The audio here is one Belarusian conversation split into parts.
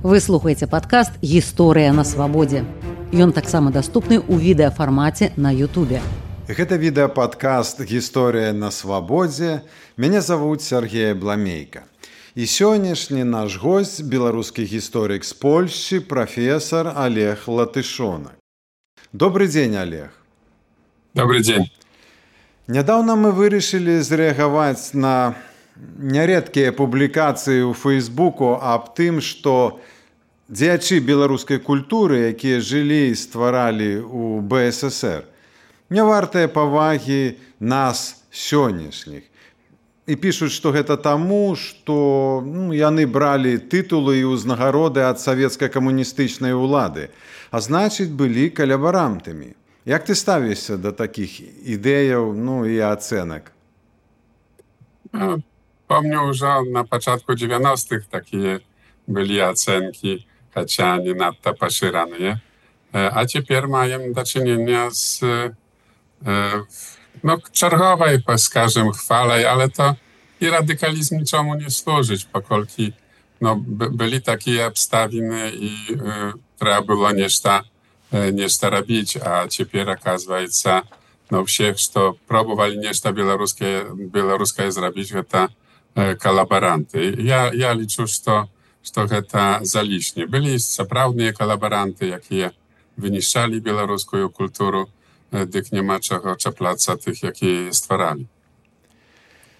Вы слухаеце падкаст «Гісторыя на свабодзе». Ён таксама даступны ў відэафармаце на Ютубе. Гэта відэападкаст «Гісторыя на свабодзе». Мяне завуць Сергей Бламейка. І сённяшні наш госць – беларускі гісторык з Польшчы, прафесар Олег Латышонак. Добрый дзень, Олег. Добрый дзень. Нядаўна мы вырашылі зрэагаваць на нярэдкія публікацыі ў Фейсбуку аб тым, што дзеячы беларускай культуры, якія жылі і стваралі ў БССР, не вартыя павагі нас сённяшніх. І пішуць, што гэта таму, што яны бралі тытулы і ўзнагароды ад савецка-камуністычнай улады, а значыць, былі калабарантамі. Як ты ставішся да такіх ідэяў, і ацэнак? Помню, уже на пачатку 90-х такія былі ацэнкі, хаця не надта пашыраныя. А цяпер маем дачынення з чарговай, скажем, хвалай, ale to i radykalizm niczemu nie służyć, pokolki byli takie obstawiny i trzeba było nieszta robić, a teraz оказывается, всех, что пробовали нечто белорусское zrobić, это коллаборанты. Я liczę, что это залишне. Byli сапраўдныя коллаборанты, якія вынішчалі беларускую культуру, дык няма чаго чапляцца тых, якія стваралі.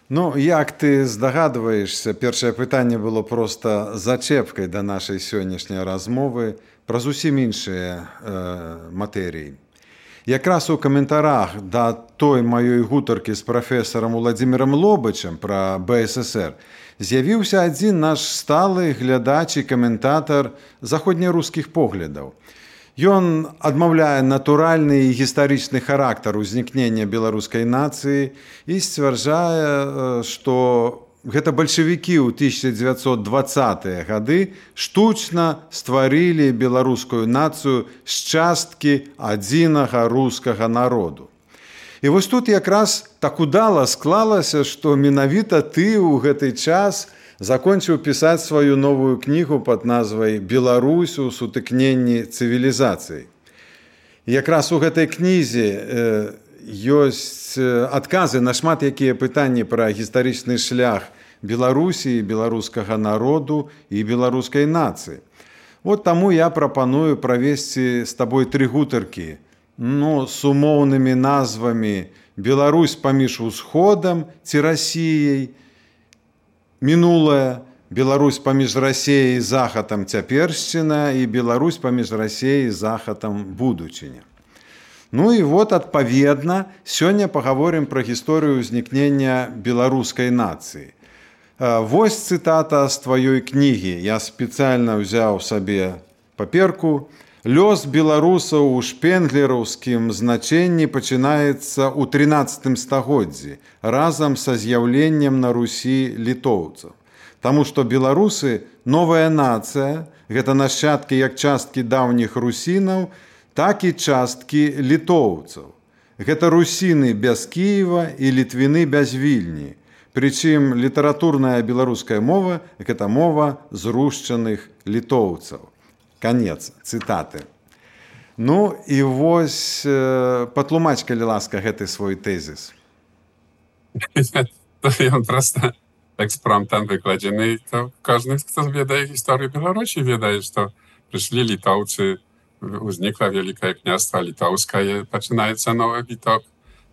Як ты здагадваешся, першае пытанне было проста зачэпкай да нашай сённяшняй размовы пра зусім іншыя матэрыі. Якраз у каментарах да той маёй гутаркі з прафесарам Уладзімірам Лобачам пра БССР з'явіўся адзін наш сталы глядач і каментатар заходнерускіх поглядаў. Ён адмаўляе натуральны і гістарычны характар узнікнення беларускай нацыі і сцвярджае, што гэта бальшавікі ў 1920-е гады штучна стварылі беларускую нацыю з часткі адзінага рускага народу. І вось тут якраз так удала склалася, што менавіта ты ў гэты час закончыў пісаць сваю новую кнігу пад назвай «Беларусь у сутыкненні цывілізацый». Якраз у гэтай кнізе ёсць адказы на шмат якія пытанні пра гістарычны шлях Беларусі, беларускага народу і беларускай нацыі. Таму я прапаную правесці з табой 3 гутаркі, з умоўнымі назвамі «Беларусь паміж усходам ці Расіяй», «Мінулае», «Беларусь паміж Расіяй і захадам цяпершчына» і «Беларусь паміж Расіяй і захадам будучыня». Адпаведна, сёння пагаворым пра гісторыю ўзнікнення беларускай нацыі. Вось цытата з тваёй кнігі. Я спецыяльна ўзяў сабе паперку. «Лёс беларусаў у шпенглераўскім значэнні пачынаецца ў 13 стагоддзі разам са з'яўленнем на Русі літоўцаў. Таму што беларусы – новая нацыя, гэта нашчадкі як часткі даўніх русінаў, так і часткі літоўцаў. Гэта русіны без Кіева і літвіны без Вільні. Прычым літаратурная беларуская мова – гэта мова зрушчаных літоўцаў». Канец цытаты. І вось патлумач, калі ласка, гэты свой тэзіс. Ён проста экспромтам выкладзены. Кожны, хто ведае гісторыю Беларусі, ведае, што прыйшлі літоўцы, узнікла Вялікае княства літоўскае, пачынаецца новы віток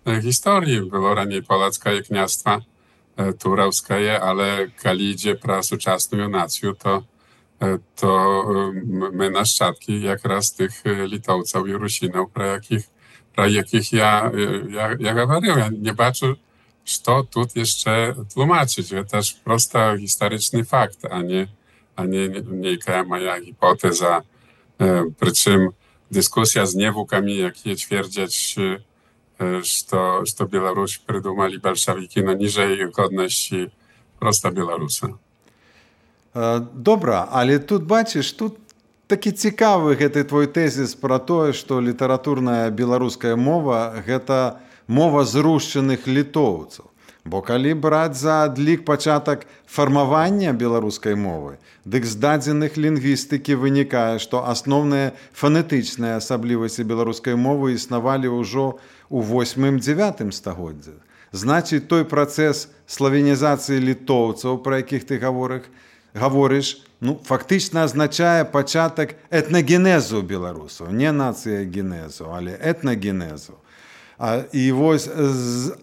гісторыі. Было раней полацкае княства тураўскае, але калі ідзе пра сучасную нацыю, to my naszczadki jakraz tych Litowców i Rusinów, про jakich ja говорил. Ja nie baczę, co tu jeszcze tłumaczyć. To też prosto historyczny fakt, a nie jaka moja hipoteza. Przy czym dyskusja z niewukami, jakie twierdzić, że Białoruś prydumali bolszewiki, niżej godności prosta Białorusa. Добра, але тут бачыш, тут такі цікавы гэты твой тэзіс пра тое, што літаратурная беларуская мова – гэта мова зрушчаных літоўцаў. Бо калі браць за адлік пачатак фармавання беларускай мовы, дык з дадзеных лінгвістыкі вынікае, што асноўныя фанетычныя асаблівасці беларускай мовы існавалі ўжо ў 8-9 стагоддзях. Значыць, той працэс славенізацыі літоўцаў, пра якіх ты гаворыш, фактычна азначае пачатак этнагенезу беларусаў, не нацыягенезу, але этнагенезу. З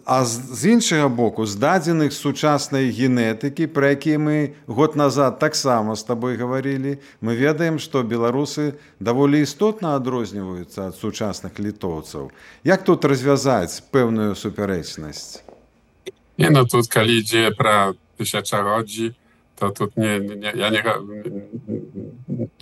іншага боку, з дадзеных сучаснай генетыкі, пра якія мы год назад таксама з табой гаварылі, мы ведаем, што беларусы даволі істотна адрозніваюцца ад сучасных літоўцаў. Як тут развязаць пэўную супярэчнасць? Тут калі ідзе пра тысячагоддзі, то тут не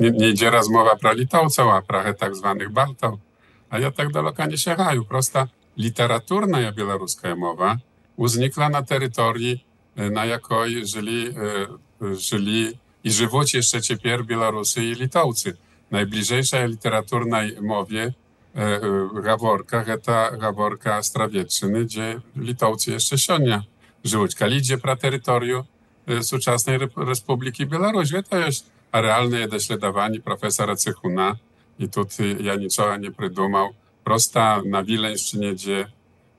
ідзе размова пра літоўцаў, а пра так званых балтаў. А я так далёка не сягаю. Проста літаратурная беларуская мова узнікла на тэрыторыі, на якой жылі і жывуць яшчэ цяпер беларусы і літоўцы. Найбліжэйшая літаратурнай мове гаворка, гэта гаворка Астравеччыны, дзе літоўцы яшчэ сёння жывуць. Калі ідзе пра тэрыторыю сучаснай Рэспублікі Беларусь, гэта ёсць рэальныя даследаванні прафесара Цыхуна, і тут я нічога не прыдумаў. Проста на Віленшчыне,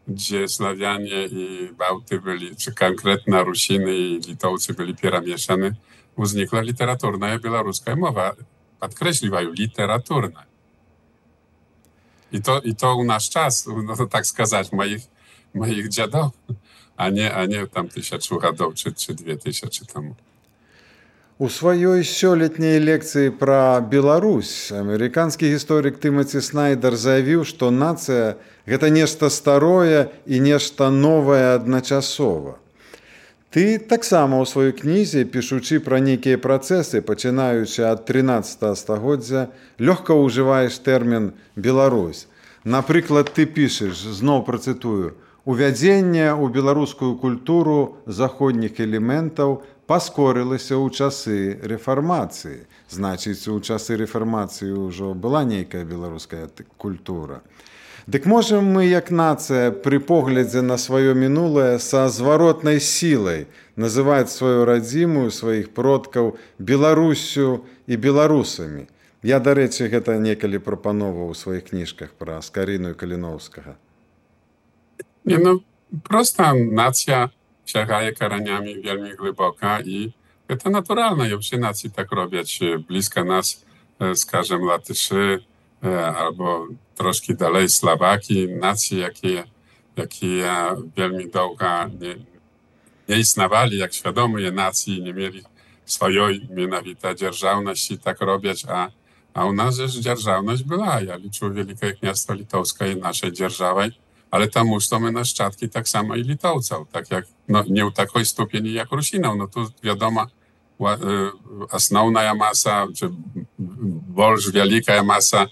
дзе славяне і баўты былі, чи канкрэтна русіны і літоўцы былі перамешаны, узнікла літаратурная беларуская мова. Падкрэсліваю, літаратурная. І то ў наш час, так сказаць, маіх дзядоў, а не там 1000 гадоў чи 2000 таму. У сваёй сёлетняй лекцыі пра Беларусь амерыканскі гісторык Тымаці Снайдер заявіў, што нацыя – гэта нешта старое і нешта новае адначасова. Ты таксама ў сваёй кнізе, пішучы пра нейкія працэсы, пачынаючы ад 13 стагоддзя, лёгка ўжываеш тэрмін «Беларусь». Напрыклад, ты пішаш, зноў працытую, «Увядзенне ў беларускую культуру заходніх элементаў паскорылася ў часы рэфармацыі». Значыць, у часы рэфармацыі ўжо была нейкая беларуская культура. Дык можам мы, як нацыя, пры поглядзе на сваё мінулае са зваротнай сілай называць сваю радзіму, сваіх продкаў Беларуссю і беларусамі. Я, дарэчы, гэта некалі прапановаў у сваіх кніжках пра Скарыну і Каліноўскага. Проста нацыя сягае каранямі вельмі глыбока і гэта натуральна. Усе нацыі так робяць. Блізка нас, скажем, латышы або трошки далей славакі, нацыі, якія вельмі доўга не існавалі як свядомыя нацыі, не мелі сваёй менавіта дзяржаўнасці, так робяць. А у нас ж дзяржаўнасць была. Я лічу Вялікае княства Літоўскае нашай дзяржавай, але таму, што мы нашчадкі таксама і літоўцаў, так як не ў такой ступені, як русінаў. Тут, вядома, асноўная маса, больш вялікая маса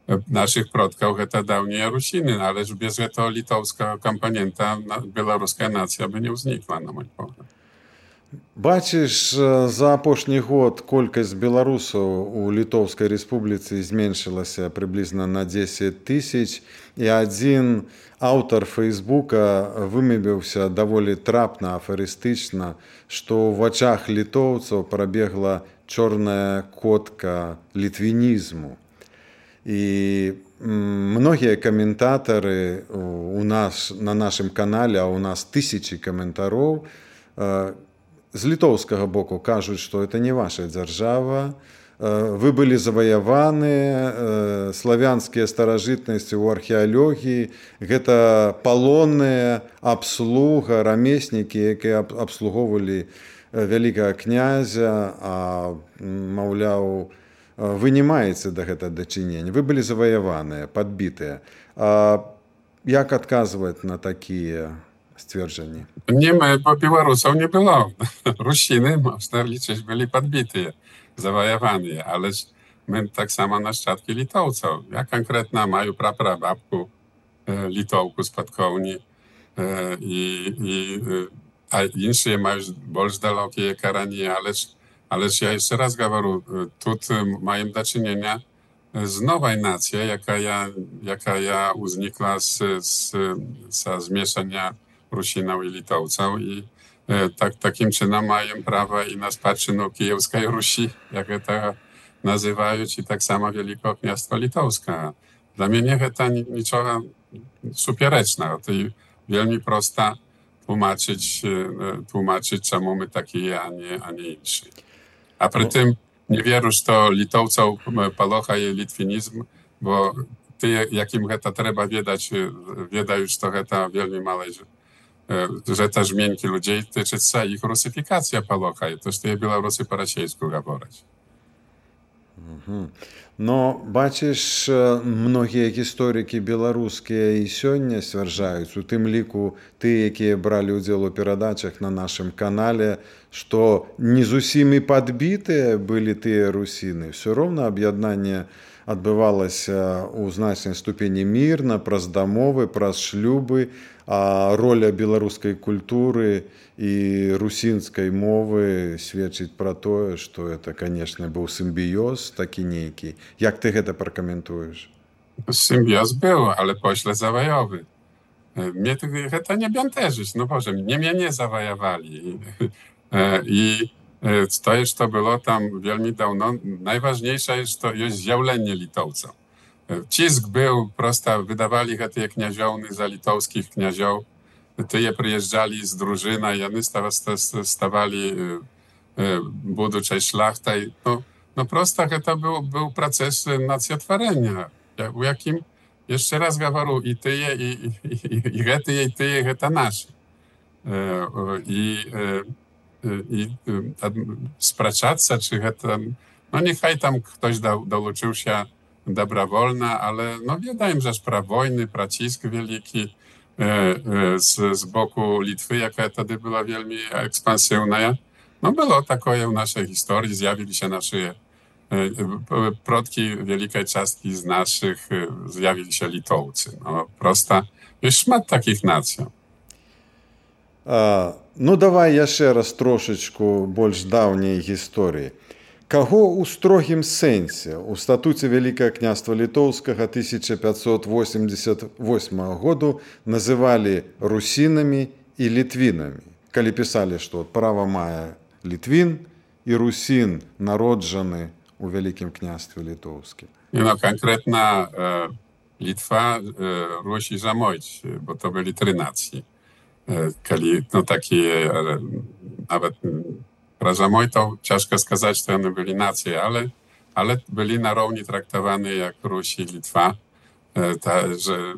нашых продкаў гэта даўнія русіны, але ж без гэтага літоўскага кампанента беларуская нацыя бы не ўзнікла, на мой погляд. Бачыш, за апошні год колькасць беларусаў у Літоўскай рэспубліцы зменшылася прыблізна на 10 000, і адзін аўтар Фейсбука вымявіўся даволі трапна, афарыстычна, што ў вачах літоўцаў прабегла чорная котка літвінізму. І многія каментатары на нашым канале, а у нас 1000 каментароў, з літоўскага боку кажуць, што это не ваша дзяржава, вы былі заваяваны, славянскія старажытнасці ў археалогіі, гэта палонныя, абслуга, рамеснікі, якія абслугоўвалі вялікага князя, а, маўляў, вы не маеце да гэта дачынення, вы былі заваяваныя, падбітыя. Як адказваць на такія сцверджанні? Беларусаў не было. Русіны, можна лічыць, былі падбітыя, заваяваныя, але ж мы таксама нашчадкі літоўцаў. Я канкрэтна маю прапрабабку літоўку з Падкоўні, а іншыя маюць больш далёкія карані, ale ja jeszcze raz говорю, тут маем do czynienia z nowej nacją, jaka uznikła z zmieszania Rusinał i Litowcał i takim czynem mają prawo i na spадщину Kijewskiej Rusi, jak to nazywają, i tak samo Wielkie Kniastwo Litowskie. Dla mnie to niczego supierecznego. To wielmi prosta tłumaczyć, czemu my taki, a nie inszy. A przy tym nie wierzę, że Litowców palocha i litwinizm, bo ty, jakim to trzeba wiedzieć, że to wielmi małe, że to zmienki ludzi tyczy się ich rusyfikacja palocha. I to, że te Białorusy po rosyjsku mówić. No, бачиш, многія гісторыкі беларускія і сёння сцвярджаюць, у тым ліку ты, якія бралі ўдзел у перадачах на нашым канале, што не зусім і падбітыя былі тыя русіны. Всё роўна аб'яднанне адбывалася ў значнай ступені мірна, праз дамовы, праз шлюбы, а роля беларускай культуры і русінскай мовы сведчыць пра тое, што это, канешне, быў сімбіёз такі нейкі. Як ты гэта пракаментуеш? Symbios był, ale pośle zawajowy. Mnie to nie bęteżyć, no Boże, mnie nie zawajowali. I to jest to było tam wielmi dawno. Najważniejsze jest to jest zjawlenie Litowców. Cisk był, prosto wydawali te kniaziołny za litowskich kniazioł. Tyje przyjeżdżali z drużyna i oni stawali buduczej szlachtaj. No prosto to był proces nacjotworzenia, u jakim, jeszcze raz говорю, i tyje, i tyje, to nasze. I spraszać się, czy to, no niechaj tam ktoś dołączył się dobrowolna, ale no wiedałem, że pra wojny, pracisk wielki z boku Litwy, jaka wtedy była wielmi ekspansywna. No było takie w naszej historii, zjawili się nasze przodki wielkiej części z naszych, zjawili się Litowcy. No prosta, jest szmat takich nacji. Ну, давай яшчэ раз трошачку больш даўняй гісторыі. Каго ў строгім сэнсе ў статуце Вялікае княства Літоўскага 1588 году называлі русінамі і літвінамі, калі пісалі, што права мае літвін і русін народжаны у Вялікім княстве Літоўскім. No konkretna Litwa, Ruś i Zamojć, bo to byli 3 nacje. No takie, nawet pra Zamojtów ciężko сказать, że one byli nacje, ale byli na równi traktowane jak Ruś i Litwa. Tak, że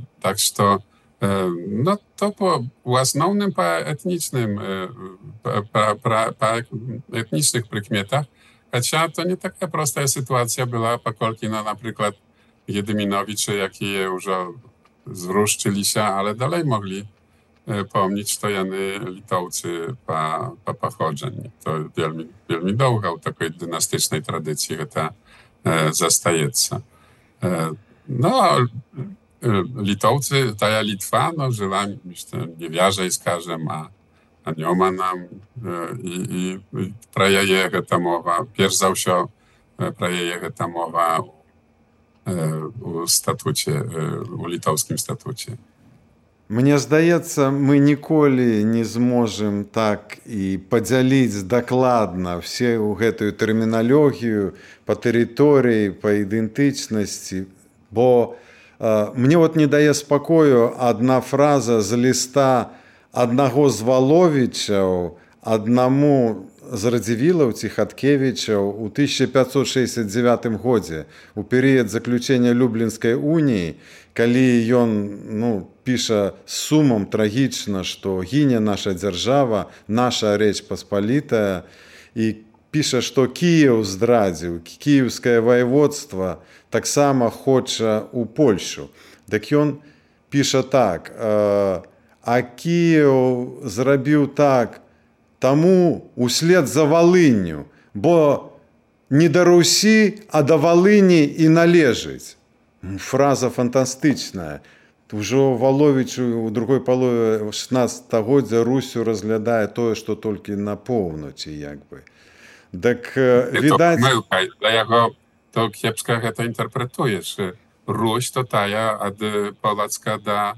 no to po основnym, po etnicznych prykmietach, chociaż to nie taka prosta sytuacja była, pokolki, no na przykład Jedyminowicze, jakie już zruszczyli się, ale dalej mogli pomnieć, to jany Litowcy po pochodzeniu. To wielmi długo w takiej dynastycznej tradycji to zastajecie. No, Litowcy, ta Litwa, no żyła, niewiarzej skażem, a nie ma nam i praje jego ta mowa, pierwsza za wsio praje jego ta mowa u statucie, u litowskim statucie. Мне здаецца, мы ніколі не зможам так і падзяліць дакладна все ў гэтую тэрміналогію па тэрыторыі, па ідэнтычнасці, бо мне вот не дае спакою адна фраза з ліста аднаго з Валовічаў аднаму з Радзівілаў ці Хаткевічаў у 1569 годзе, у перыяд заключэння Люблінскай уніі, калі ён піша з сумам трагічна, што гіне наша дзяржава, наша Рэч Паспалітая, і піша, што Кіеў здрадзіў, кіеўскае ваеводства таксама хоча ў Польшу. Дык ён піша так: а Кіеў зрабіў так таму услед за Валынню, бо не да Русі, а да Валыні і належыць. Фраза фантастычная. Ужо Валовіч у другой палове 16-годдзя Русю разглядае тое, што толькі на поўначы, як бы. Так, відаць... Dla jego to kiepsko to interpretujesz. Ruś to taja od Polacka do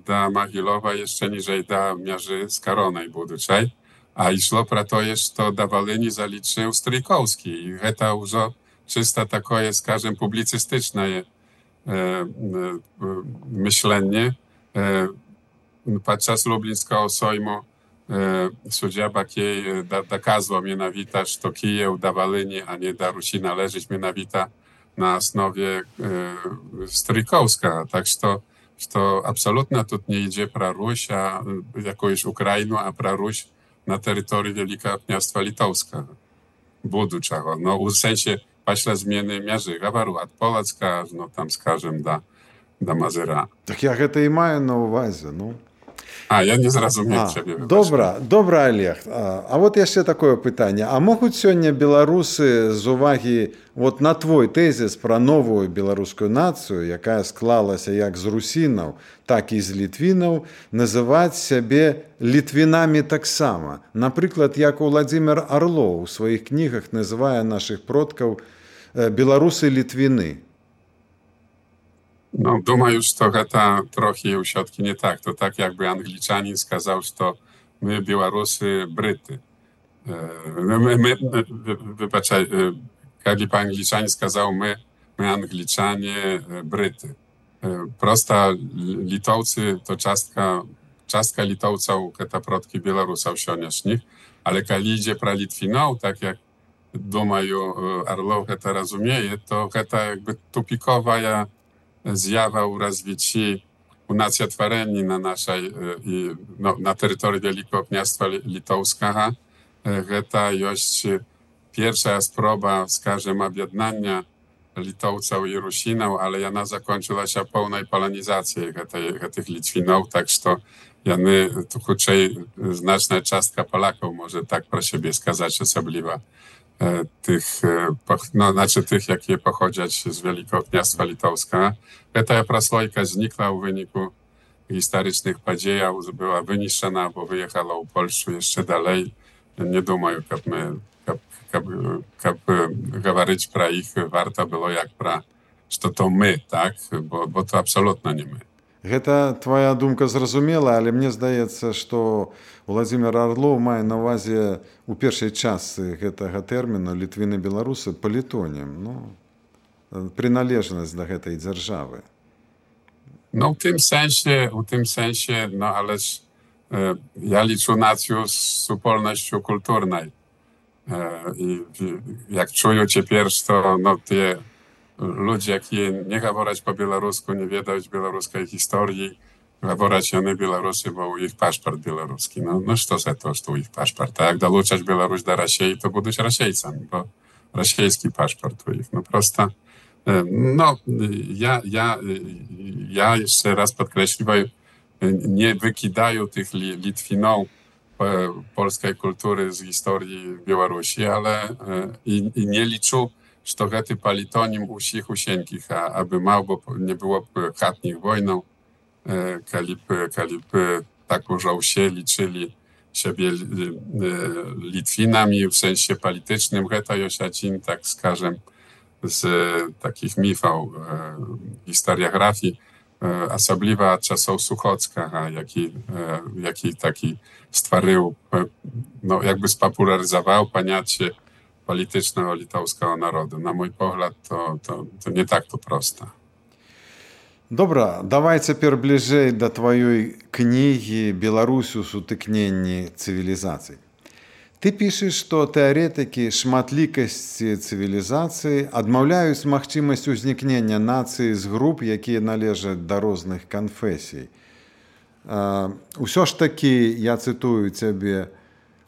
da Могилова jeszcze niżej da miarzy z Karonej buduczej, a išlo про to jest, to da Волыни zaliczył Stryjkowski. I to już czysta takie, skażem, publicystyczne myślenie. Podczas Lublińskiego Sejmu sędzia Bakiej dokazał mianowita, że Kijów da Волыни, a nie da Rusi należeć mianowita na osnowie Stryjkowska. Tak, że absolutnie tu nie idzie про Ruś, a jakąś Ukrainę, a про Ruś na terytorium Wielkiego Kniastwa Litowskiego. Buduczego. No, w sensie paśle zmiany miarzy Gawaru od Polacka, no tam skażem da Mazyra. Так я гэта і маю на ўвазе, ну. Я не зразумеў цябе. Добра, Олег. А вот яшчэ такое пытанне. А могуць сёння беларусы з увагі вот на твой тэзіс пра новую беларускую нацыю, якая склалася як з русінаў, так і з літвінаў, называць сябе літвінамі таксама? Напрыклад, як Владзімір Арлоў у сваіх кнігах называе нашых продкаў беларусы-літвіны. No, думаю, że to trochę u środki nie tak. To tak jakby Anglicanin skazał, że to my Białorusy Bryty. Wybaczaj, jakby Anglicanin skazał my Angliczanie Bryty. Prosta Litowcy to czastka Litowców, te protki Białorusów sioniecznych, ale kiedy idzie pra Litwinów, tak jak думаю, Орлов to rozumie, to jakby tupikowa zjawa u rozwici u nacjotwareni na naszej, na terytorium Wielkiego Kniastwa Litowskiego. To jest pierwsza sproba, skażem, objednania Litowców i Rusinów, ale ona zakończyła się pełnej polonizacji tych Litwinów, tak że jany tu krócej znaczna częstka Polaków może tak pro siebie skazać osobliwa. Tych, jakie pochodzić z Wielkiego Kniastwa Litowskiego. Ta proslojka znikła w wyniku historycznych podziejów, była wyniszczona, bo wyjechała u Polsku jeszcze dalej. Nie думаю, jak mówić pra ich warto było jak pra, że to my, tak? Bo to absolutnie nie my. Гэта твоя думка зразумела, але мне здаецца, што Владзімір Арлоў мае на ўвазе у першай частцы гэтага тэрміну літвіны-беларусы палітонім, прыналежнасць да гэтай дзяржавы. No, w tym sensie, no ależ ja liczę nację z upolnością kulturnej. I jak czuję ciepierw, to te ludzie, jakie nie mówić po białorusku, nie wiedać białoruskiej historii, mówić one Białorusy, bo ich paszport białoruski. No, co za to, że ich paszport? A jak dołączać Białoruś do Rosji, to będą Rosjejcami, bo rosyjski paszport u ich. No prosto. No, ja jeszcze raz podkreśliwam, nie wykidają tych Litwinów polskiej kultury z historii Białorusi, ale i nie liczą, że to gety palitonim usich usienkich, aby mało, bo nie było chatnich wojną, kalip tak użał się, liczyli siebie Litwinami w sensie politycznym, geta Josiacin, tak skażem, z takich mitów, historiografii, osobliwa czasów Suchocka, jaki taki stworzył, no jakby spopularyzował pojęcie politycznego litewskiego narodu. Na mój pogląd to nie tak to prosto. Добра, давай цяпер бліжэй да тваёй кнігі «Беларусь у сутыкненні цывілізацый». Ты пішаш, што тэарэтыкі шматлікасці цывілізацыі адмаўляюць магчымасць узнікнення нацыі з груп, якія належаць да розных канфесій. Усё ж такі, я цытую цябе,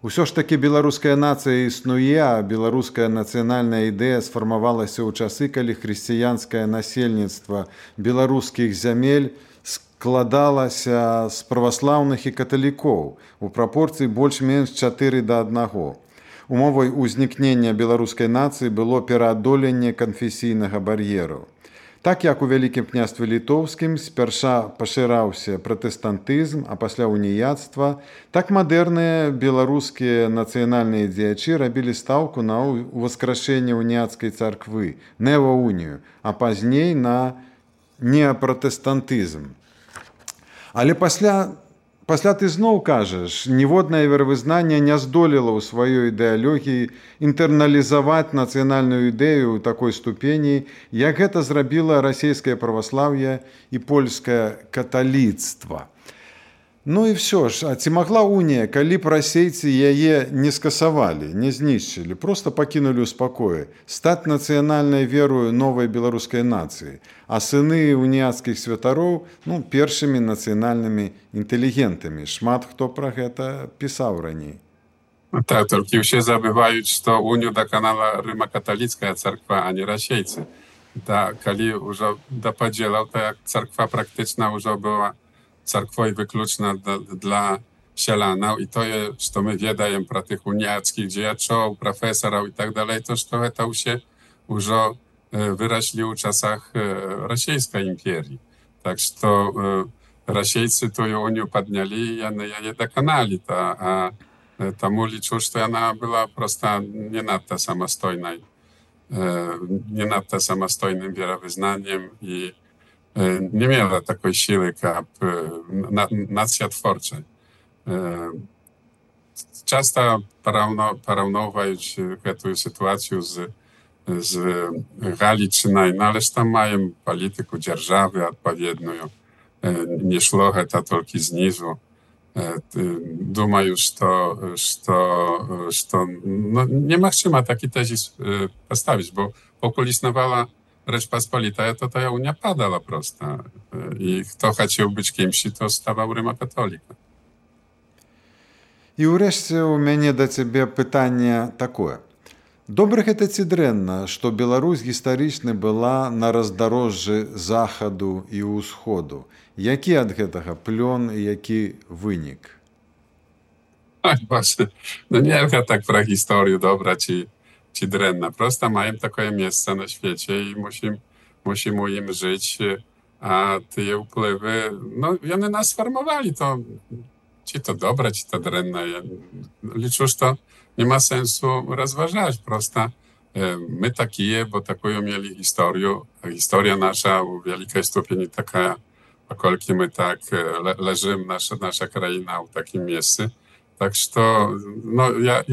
усё ж такі беларуская нацыя існуе, а беларуская нацыянальная ідэя сфармавалася ў часы, калі хрысціянскае насельніцтва беларускіх зямель складалася з праваслаўных і каталікоў у прапорцыі больш-менш 4:1. Умовай узнікнення беларускай нацыі было пераадоленне канфесійнага бар'еру. Так як у Вялікім княстве літоўскім спярша пашыраўся пратэстантызм, а пасля уніяцтва, так мадэрныя беларускія нацыянальныя дзеячы рабілі стаўку на ўваскрашэнне уніяцкай царквы, неоунію, а пазней на неапратэстантызм. Але пасля ты зноў кажаш, ніводнае веравызнанне не здолела ў сваёй ідэалогіі інтэрналізаваць нацыянальную ідэю ў такой ступені, як гэта зрабіла расійскае праваслаўе і польскае каталіцтва. Ну і ўсё ж, а ці магла унія, калі б расейцы яе не скасавалі, не знішчылі, проста пакінулі ў спакоі, стаць нацыянальнай верою новай беларускай нацыі, а сыны уніяцкіх святароў першымі нацыянальнымі інтэлігентамі. Шмат хто пра гэта пісаў раней. Tak, tylko się забываюць, што унію даканала рыма-каталіцкая царква, а не расейцы. Калі ўжо да падзелаў, то як царква практычна ўжо была царквой выключна dla сялянаў, і тое, што мы ведаем пра тых уніяцкіх дзеячоў, прафесараў і так далей, то што гэта ўсе ўжо выраслі ў часах расійскай імперіі. Так што расейцы тую унію паднялі, яны яе даканалі, а таму лічу, што яна была проста не надта самастойным веравызнаннем і nie miała takiej siły, jak nacja twórcza. Często porównując tę sytuację z Galiczyną, ale tam mają politykę dzierżawy odpowiednią. Nie szło to tylko zniżu. Думаю, że nie ma czym taki tezis postawić, bo pokój istniała Rzeczpospolita, to ta unia padała prosta. I kto chciał być kimś, to stawał rymokatolikiem. I wreszcie u mnie do ciebie pytanie takie. Dobre гэта ці дрэнна, што Беларусь гістарычна была на раздорожжы захаду і ўсходу. Які ад гэтага плён і які вынік? Właśnie, nie wiem tak про historię dobra czy drewna. Prosto mają takie miejsce na świecie i musimy im żyć, a te wpływy, one nas formowali, to czy to dobra, czy to drewna. Ja liczę, że to nie ma sensu rozważać. Prosto my takie, bo taką mieli historię, a historia nasza w wielkiej stopniu taka, pokolki my tak leżymy, nasza kraina w takim miejscu. Tak что, я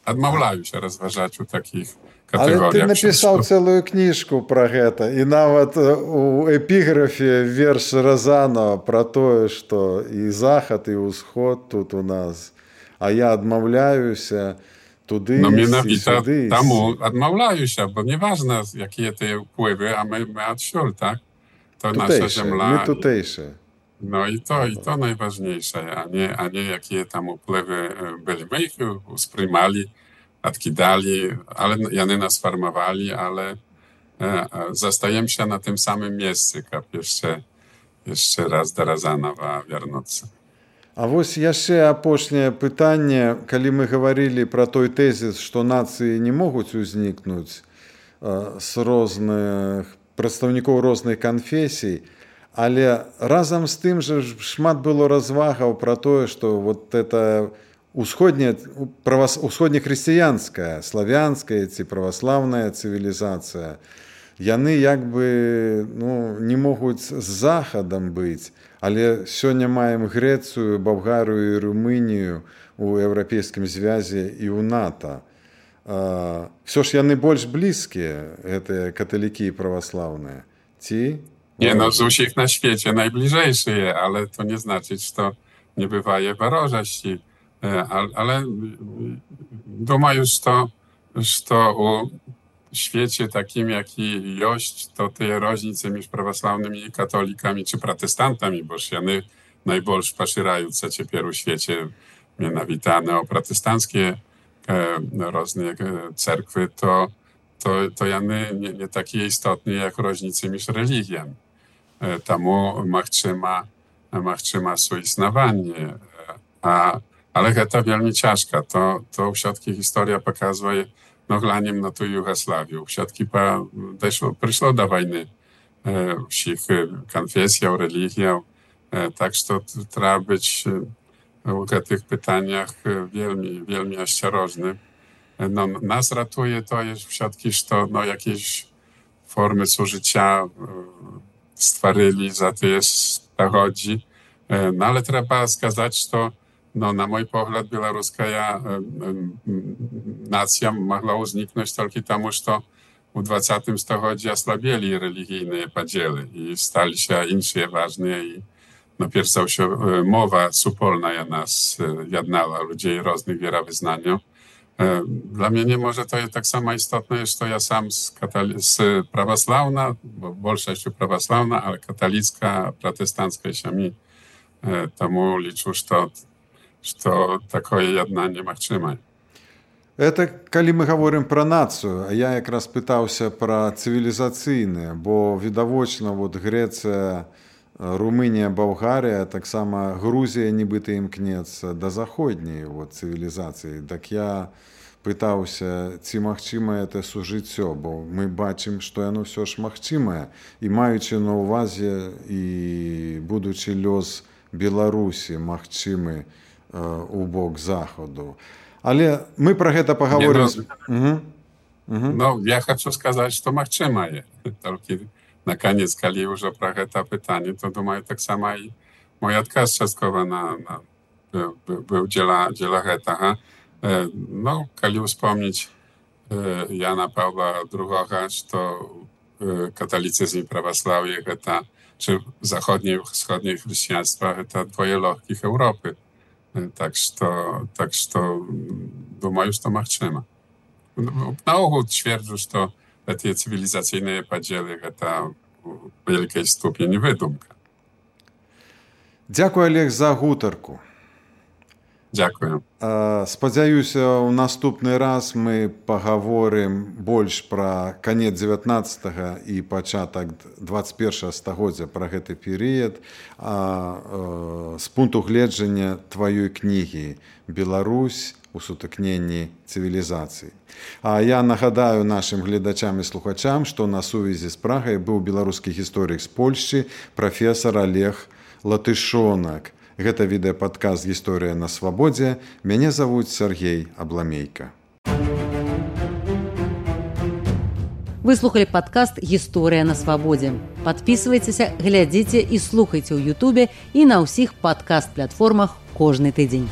адмаўляюся разважаць у такіх катэгорыях. Але ты напісаў цэлую кніжку пра гэта, і нават у эпіграфе верш Разанова пра тое, што і захад, і ўсход тут у нас, а я адмаўляюся туды і сюды. Таму адмаўляюся, бо неважна, якія тыя ўплывы, а мы адсюль, так? To nasza ziemia. My tutejsze. No i to najważniejsze, a nie jakie tam upływy byli. My ich usprzymali, odkidali, ale one nas formowali, ale zostajemy się na tym samym miejscu, jak jeszcze raz do Razanowa wrócić. А вось яшчэ апошняе пытанне, калі мы гаварылі пра той тэзіс, што нацыі не могуць узнікнуць з розных прадстаўнікоў розных канфесій, але разам з тым жа шмат было развагаў пра тое, што вот это усходнехрысціянская, славянская ці праваслаўная цывілізацыя, яны як бы не могуць з захадам быць, але сёння маем Грэцыю, Балгарыю і Румынію у Еўрапейскім звязе і ў НАТО. Всё ж яны больш блізкія, гэтыя каталікі і праваслаўныя, ці? Nie, z усіх na świecie najbliżejsze, ale to nie znaczy, że to nie bywaje ворожості. Ale думаю, że u świecie takim, jaki jest, to te różnice między prawosławnymi i katolikami czy protestantami, bo one najbardziej poszerzają się teraz w świecie, mianowicie o protestanckie różne cerkwy, to one nie takie istotne jak różnice między religiami. Тому махчима суіснаванне. Але гэта вельмі цяжка. То ўсё-таки гісторыя паказвае глянем на ту Югославію. Ўсё-таки прыйшло да вайны ўсіх канфесіяў, рэлігіяў. Так што трэба быць у гэтых пытаннях вельмі асцярожным. Нас ратуе тое ўсё-таки, што якieś formy służycia stworzyli za te 100 godzin, No ale trzeba сказать, что na mój pogląd białoruska nacja mogła uzniknąć tylko temu, że w XX stuleciu osłabieli religijne podziały i stali się inne ważne i pierwsza się mowa wspólna nas jednała ludzi różnych wierowyznaniów. Dla mnie nie może to jest tak samo istotne, że ja sam z prawosławna, bo większość prawosławna, ale katolicka, protestancka się mi тому liczę, że takie jednanie możliwe. Это калі мы говорим про нацию, я якраз пытаўся про цывілізацыйныя, бо відавочна вот Грэцыя, Румынія, Балгарія, таксама Грузія нібыта імкнецца да заходняй вот цывілізацыі. Так я пытаўся, ці магчымае это сужыццё, бо мы бачым, што яно ўсё ж магчымае, і маючы на ўвазе і будучы лёс Беларусі магчымы у бок захаду. Але мы про гэта паговорым. No, ja хочу сказать, что магчымае. Толькі на канец, калі ўжо про гэта пытанне, то думаю, так сама і мой адказ часткова быў дзеля гэтага. No, калі ўспомніць Jana Pawła II, что католицизм и православие гэта, czy zachodnie i wschodnie chrześcijaństwa, это dwoje легких Europy. Так что думаю, что магчыма. Наогул twierdzę, что эти цивилизационные поделы это в wielkiej ступени выдумка. Дзякуй, Олег, за гутарку. Дзякую. Спадзяюся, у наступны раз мы паговорым больш пра канец 19 і пачатак 21 стагоддзя, пра гэты перыяд, з пункту гледжання тваёй кнігі «Беларусь у сутыкненні цывілізацый». А я нагадаю нашым гледачам і слухачам, што на сувязі з Прагай быў беларускі гісторык з Польшчы прафесар Олег Латышонак. Гэта відэападкаст «Гісторыя на свабодзе». Мяне завуць Сергей Абламейка. Вы слухали падкаст «Гісторыя на свабодзе». Падпісвайцеся, глядзіце і слухайце ў Ютубе і на ўсіх падкаст-платформах кожны тыдзень.